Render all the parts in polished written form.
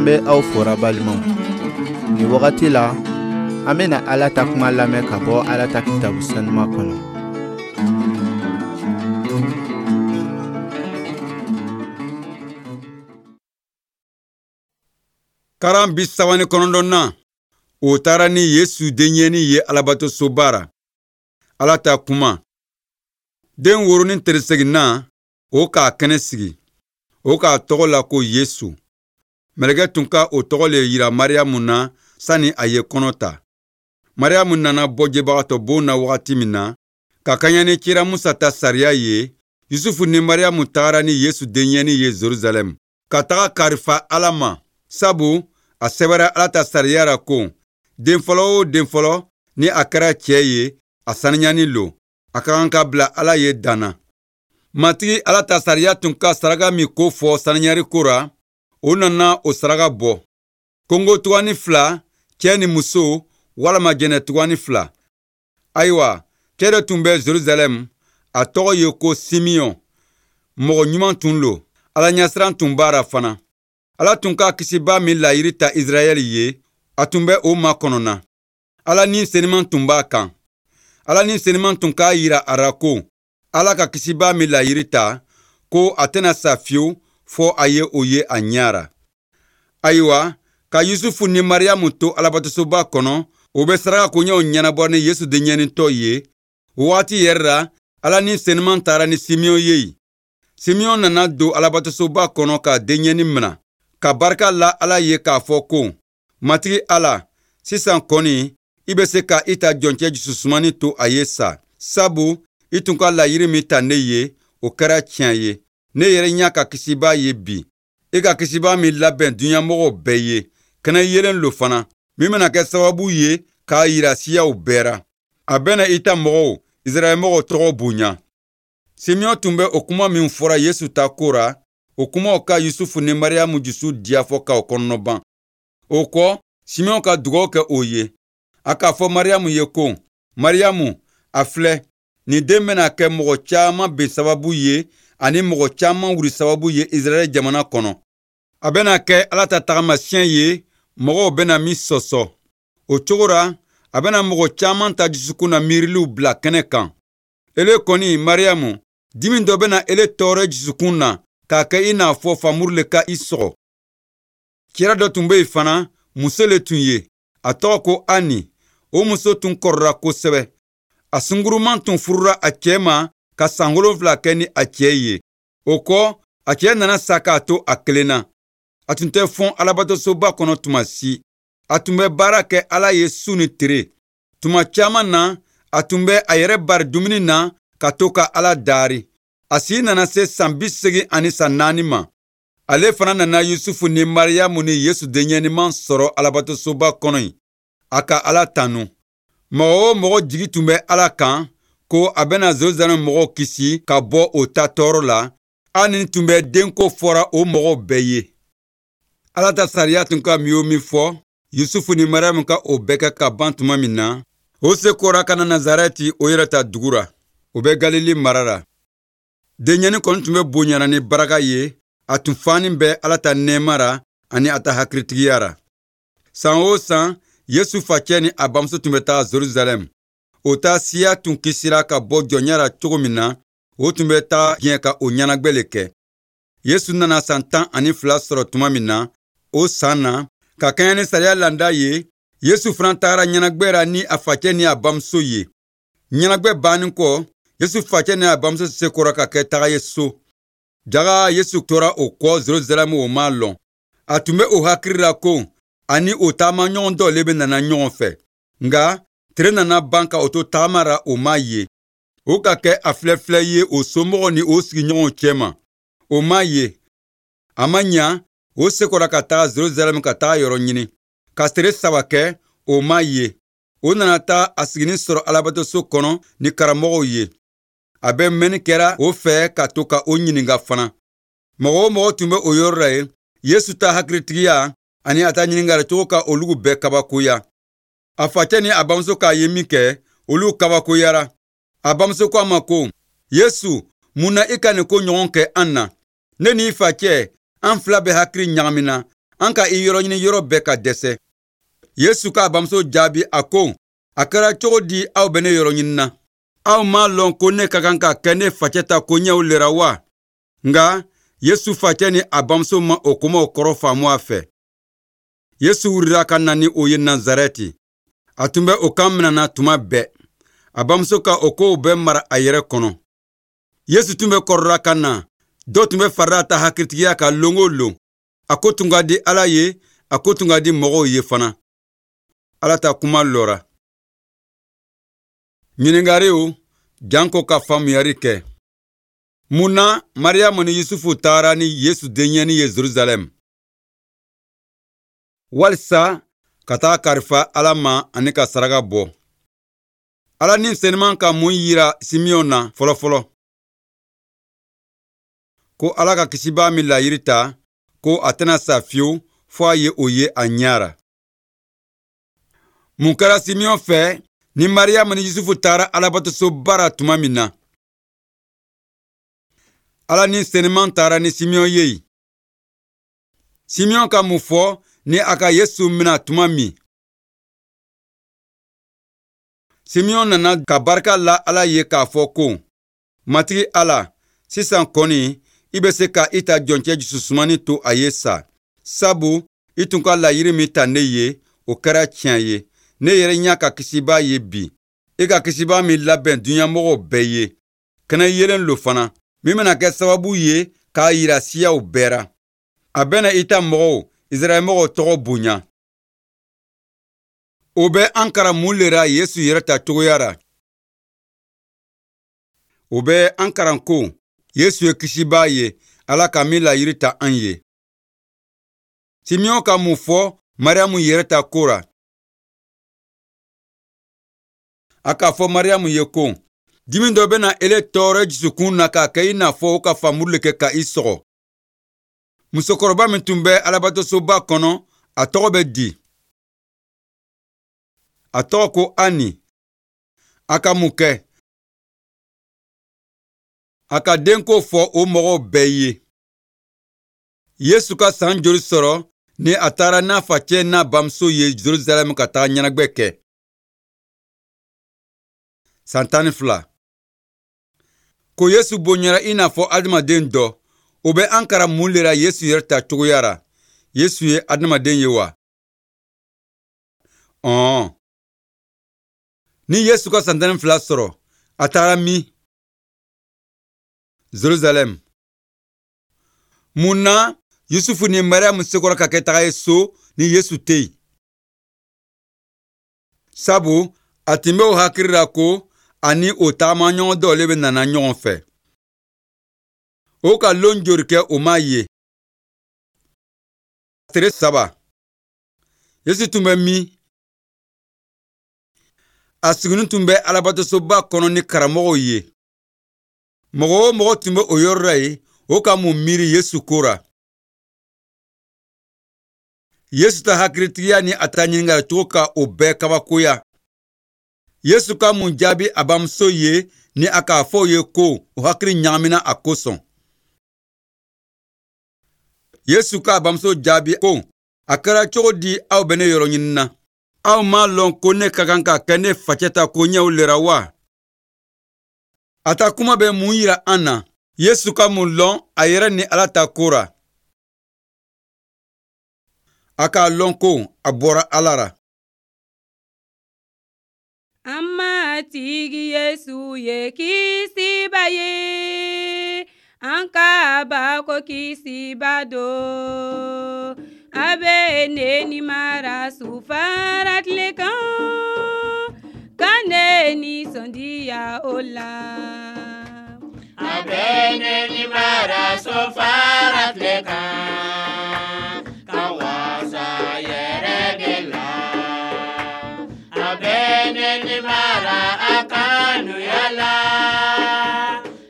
An bɛ aw fora balimaw. Nin wagati la, an bɛna Ala ta kuma lamɛn ka bɔ Ala ta kitabu sanuma kɔnɔ. Karan 39nan, o taara ni Yesu denyɛnin ye Alabatosoba ra. Ala ta kuma. Den woronin tere seginnan, o k'a kɛnɛ sigi. O k'a tɔgɔ la ko Yesu. Mɛlɛkɛ tun ka o tɔgɔ le yira Mariyamu na sani a ye kɔnɔ ta. Mariyamu nana bɔ jebagatɔ bon na wagati min na, ka kaɲɛ ni kira Musa ta sariya ye, Yusufu ni Mariyamu tagara ni Yesu denyɛnin ye Jerusalɛm, ka taga karifa Ala ma, sabu a sɛbɛra Ala ta sariya ra ko, den fɔlɔ o den fɔlɔ ni a kɛra cɛ ye, a saniyanin lo, a ka kan ka bila Ala ye dan na. Matigi Ala ta sariya tun ka saraka min ko fɔ saniyari ko ra, o nana o saraka bɔ. Kongo tugani fila, cɛ ni muso, walama jɛnɛ tugani fila. Ayiwa, cɛ dɔ tun bɛ Jerusalɛm, a tɔgɔ ye ko Simiyɔn. Mɔgɔ ɲuman tun lo, Ala ɲɛsiran tun b'a ra fana. Ala tun ka kisiba min layiri ta Israɛl ye, a tun bɛ o makɔnɔ na. Ala ni seniman tun b'a kan. Ala ni seniman tun k'a yira a ra ko Ala ka kisiba min layiri ta, ko a tɛna sa fiyewu fɔ a ye o ye a ɲɛ ra. Ayiwa, ka Yusufu ni Mariyamu to Alabatosoba kɔnɔ, o bɛ saraka koɲɛw ɲɛnabɔ ni Yesu denyɛnintɔ ye. O wagati yɛrɛ la, Ala ni seniman taara ni Simiyɔn ye yen. Simiyɔn nana don Alabatosoba kɔnɔ ka denyɛnin mina, ka barika la Ala ye k'a fɔ ko, Matigi Ala, sisan kɔni, i bɛ se ka i ta jɔncɛ jususumani to a ye sa, sabu i tun ka layiri min ta ne ye, o kɛra tiɲɛ ye. Ne yɛrɛ ɲɛ ka kisiba ye bi. I ka kisiba min labɛn duɲamɔgɔw bɛɛ ye, kɛnɛ yelen lo fana, min bɛna kɛ sababu ye k'a yira siyaw bɛɛ ra. A bɛna i ta mɔgɔw, Israɛl mɔgɔw tɔgɔ bonya. Simiyɔn tun bɛ o kuma min fɔra Yesu ta ko ra, o kumaw ka Yusufu ni Mariyamu jusu diya fɔ k'o kɔnɔnɔban. O kɔ, Simiyɔn ka dugawu kɛ o ye. A k'a fɔ Mariyamu ye ko, Mariyamu, a filɛ, nin den bɛna kɛ mɔgɔ caman bin sababu ye ani mɔgɔ caman wuli sababu ye Israɛl jamana kɔnɔ. A bɛna kɛ Ala ta tagamasiyɛn ye, mɔgɔw bɛna min sɔsɔ. O cogo ra, a bɛna mɔgɔ caman ta dusukun na miiriliw bila kɛnɛ kan. Ele kɔni, Mariyamu, dimi dɔ bɛna ele tɔɔrɔ dusukun na k'a kɛ i n'a fɔ famuru le ka i sɔgɔ. Kira dɔ tun bɛ yen fana, muso le tun ye, a tɔgɔ ko Ani. O muso tun kɔrɔra kosɛbɛ. A sunguruman tun furura a cɛ ma ka san 7 kɛ ni a cɛ ye. O kɔ, a cɛ nana sa k'a to a kelen na. A tun tɛ fɔn Alabatosoba kɔnɔ tuma si. A tun bɛ baara kɛ Ala ye su ni tere. Tuma caman na, a tun bɛ a yɛrɛ bari dumuni na ka to ka Ala dari. A si nana se san 84 ma. Ale fana nana Yusufu ni Mariyamu ni Yesu denyɛninman sɔrɔ Alabatosoba kɔnɔ yen. A ka Ala tanu. Mɔgɔ o mɔgɔ jigi tun bɛ Ala kan ko a bɛna Jerusalɛm mɔgɔw kisi ka bɔ o ta tɔɔrɔ la, hali ni tun bɛ denko fɔra o mɔgɔw bɛɛ ye. Ala ta sariya tun ka min o min fɔ, Yusufu ni Mariyamu ka o bɛɛ kɛ ka ban tuma min na, o sekɔra ka na Nazarɛti o yɛrɛ ta dugu ra, o bɛ Galile mara la. Denyɛnin kɔni tun bɛ bonyana ni baraka ye, a tun fanin bɛ Ala ta nɛɛma ra ani a ta hakilitigiya ra. San o san, Yesu facɛ ni a bamuso tun bɛ taa Jerusalɛm. O ta siya tun kisira ka bɔ jɔnya ra cogo min na, o tun bɛ taa diɲɛ ka o ɲɛnagwɛ le kɛ. Yesu nana san 12 sɔrɔ tuma min na, o san na, ka kɛɲɛ ni sariya landa ye, Yesu fana tagara ɲɛnagwɛ ra ni a facɛ ni a bamuso ye. Ɲɛnagwɛ bannin kɔ, Yesu facɛ ni a bamuso sekɔra ka kɛ taga ye so. Jaga Yesu tora o kɔ Jerusalɛm o m'a lɔn. A tun bɛ o hakili la ko ani o taama ɲɔgɔn dɔ le bɛ nana ɲɔgɔn fɛ. Nka tere nana ban ka o to tagama ra o m'a ye. O ka kɛ a filɛfilɛ ye o somɔgɔw ni o sigiɲɔgɔnw cɛma. O m'a ye. A ma ɲa, o sekɔra ka taga Jerusalɛm ka taga yɔrɔ ɲini. Ka tere 3 kɛ, o m'a ye. O nana taa a siginin sɔrɔ Alabatoso kɔnɔ ni karamɔgɔw ye. A bɛ mɛnni kɛra o fɛ ka to ka o ɲininka fana. Mɔgɔ o mɔgɔ tun bɛ o yɔrɔ la yen, Yesu ta hakilitigiya ani a ta ɲininkali cogo ka olu bɛɛ kabakoya. A facɛ ni a bamuso k'a ye min kɛ, olu kabakoyara. A bamuso ko a ma ko, Yesu, mun na i ka nin ko ɲɔgɔn kɛ an na? Ne ni i facɛ, an fila bɛ hakili ɲagamina, An ka i yɔrɔ ɲini yɔrɔ bɛɛ ka dɛsɛ. Yesu k'a bamuso jaabi a ko, a kɛra cogo di aw bɛ ne yɔrɔ ɲini na? Aw m'a lɔn ko ne ka kan ka kɛ ne facɛ ta koɲɛw le ra wa? Nka Yesu facɛ ni a bamuso ma o kumaw kɔrɔ faamu a fɛ. Yesu wulila ka na ni o ye Nazarɛti. A tun bɛ o kan minɛna tuma bɛɛ. A bamuso ka o kow bɛɛ mara a yɛrɛ kɔnɔ. Yesu tun bɛ kɔrɔla ka na. Dɔ tun bɛ farila ta hakilitigiya kan lon o lon. A ko tun ka di Ala ye, a ko tun ka di mɔgɔw ye fana. Ala ta kuma lɔra. Ɲininkariw janko ka faamuyari kɛ. Mun na Mariyamu ni Yusufu taara ni Yesu denyɛnin ye Jerusalɛm? Walisa ka taa kalifa Ala ma ani ka saraka bɔ. Ala ni senuman ka mun yira Simeɔn na fɔlɔfɔlɔ? Ko Ala ka kisibaa min layiri ta, ko a tɛna sa fiyewu fo a ye o ye a ɲɛ ra. Mun kɛra Simeɔn fɛ ni Mariyamu ni Yusufu taara Alabatosoba ra tuma min na? Ala ni senuman taara ni Simeɔn ye yen. Simeɔn ka mun fɔ ni a ka Yesu mina tuma min? Simeɔn nana ka barika la Ala ye k'a fɔ ko, Matigi Ala, sisan kɔni i bɛ se ka i ta jɔncɛ jususumani to a ye sa, sabu i tun ka layiri min ta ne ye, o kɛra tiɲɛ ye. Ne yɛrɛ ɲɛ ka kisibaa ye bi, i ka kisibaa min labɛn duɲamɔgɔw bɛɛ ye. Kɛnɛ yelen lo fana, min bɛna kɛ sababu ye k'a yira siyaw bɛɛ ra. A bɛna i ta mɔgɔw, Israɛl mɔgɔw tɔgɔ bonya. O bɛ an karan mun le ra Yesu yɛrɛ ta cogoya ra? O bɛ an karan ko Yesu ye kisibaa ye, Ala ka min layiri ta an ye. Simeɔn ka mun fɔ Mariyamu yɛrɛ ta ko ra? A k'a fɔ Mariyamu ye ko, dimi dɔ bɛna ele tɔɔrɔ dusukun na k'a kɛ i n'a fɔ o ka famuru le kɛ ka i sɔgɔ. Musokɔrɔba min tun bɛ Alabatosoba kɔnɔ, a tɔgɔ bɛ di. A tɔgɔ ko Ani. A ka mun kɛ? A ka denko fɔ o mɔgɔw bɛɛ ye. Yesu ka san joli sɔrɔ ni a taara n'a facɛ n'a bamuso ye Jerusalɛm ka taga ɲɛnajɛ kɛ? San 12. Ko Yesu bonyara i n'a fɔ adamaden dɔ, o bɛ an karan mun le ra Yesu yɛrɛ ta cogoya ra? Yesu ye adamaden ye wa? Ɔn. Ni Yesu ka san 12 sɔrɔ, a taara min? Jerusalɛm. Mun na Yusufu ni Mariyamu sekɔrɔ ka kɛ taga ye so ni Yesu tɛ yen? Sabu a tun bɛ o hakili la ko ani o taamaɲɔgɔn dɔ le bɛ nana ɲɔgɔn fɛ. O ka lon joli kɛ o m'a ye? Tere 3. Yesu tun bɛ min? A siginin tun bɛ Alabatosoba kɔnɔ ni karamɔgɔw ye. Mɔgɔ o mɔgɔ tun bɛ o yɔrɔ la yen, o ka mun miiri Yesu ko ra? Yesu ta hakilitigiya ni a ta ɲininkali cogo ka o bɛɛ kabakoya. Yesu ka mun jaabi a bamuso ye ni a k'a fɔ o ye ko o hakili ɲagamina a kosɔn? Yesu k'a bamuso jaabi ko, a kɛra cogo di aw bɛ ne yɔrɔ ɲini na? Aw m'a lɔn ko ne ka kan ka kɛ ne facɛ ta koɲɛw le ra wa? A ta kuma bɛ mun yira an na? Yesu ka mun lɔn a yɛrɛ ni Ala ta ko ra? A k'a lɔn ko a bɔra Ala ra. An Matigi Yesu ye kisiba ye, an ka bako kisiba don. A bɛ ne ni mara sufara tile kan, ka ne nisɔndiya o la. A bɛ ne ni mara sufara tile kan, ka wasa yɛrɛ de la. A bɛ ne ni mara a kanuya la,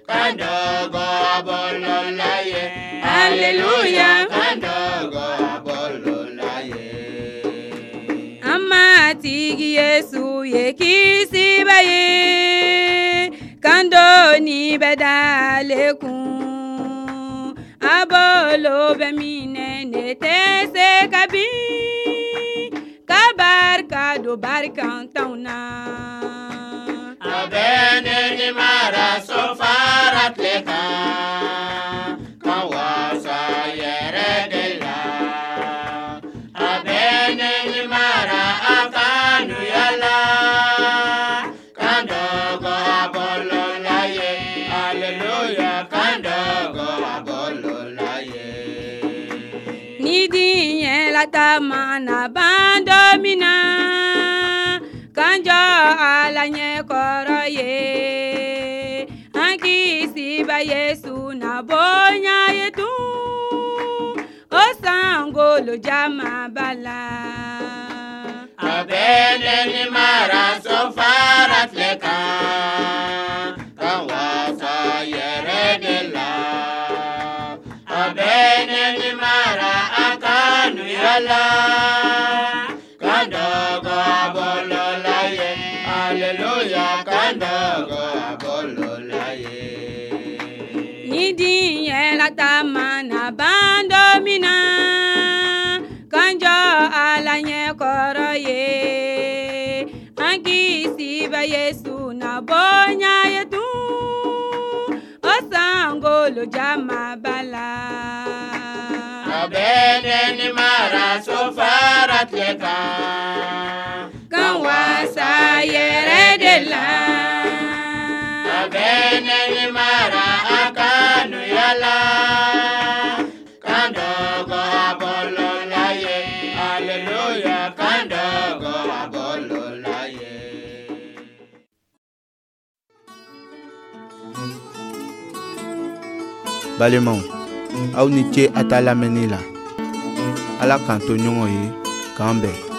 ka dɔgɔ a bolo la ye. Alléluia. Ka dɔgɔ a bolo la ye. An Matigi Yesu ye kisiba ye, kan doni bɛ d'ale kun. A bɔ bolo bɛ minɛ ne tɛ se ka bin ka barika don barikantanw na. A bɛ ne ni mara so fara tile kan ka wasa yɛrɛ de la. A bɛ ne ni mara a kanuya la kan dɔgɔ a bolo la ye aleluya kan dɔgɔ a bolo la ye. Ni diɲɛ lataama na ban don min na k'an jɔ Ala ɲɛkɔrɔ ye an Kisiba Yesu na bonya ye tun o sankolo jamaba la. A bɛ ne ni mara so fara tile kan ka wasa yɛrɛ de la. A bɛ ne ni mara a kanuya la kan dɔgɔ a bolo la ye aleluya kan dɔgɔ a bolo la ye. Ni diɲɛ lataama na ban don min na k'an jɔ Ala ɲɛkɔrɔ ye an Kisiba Yesu na bonya ye tun o sankolo jamaba la. A bɛ ne ni mara so fara tile kan Kan wasa yɛrɛ de la. A bɛ ne ni mara a kanuya la kan dɔgɔ a bolo la ye aleluya kan dɔgɔ a bolo la ye. Balimaw, aw ni ce a ta lamɛnni la. Ala k'an to ɲɔgɔn ye, k'an bɛn.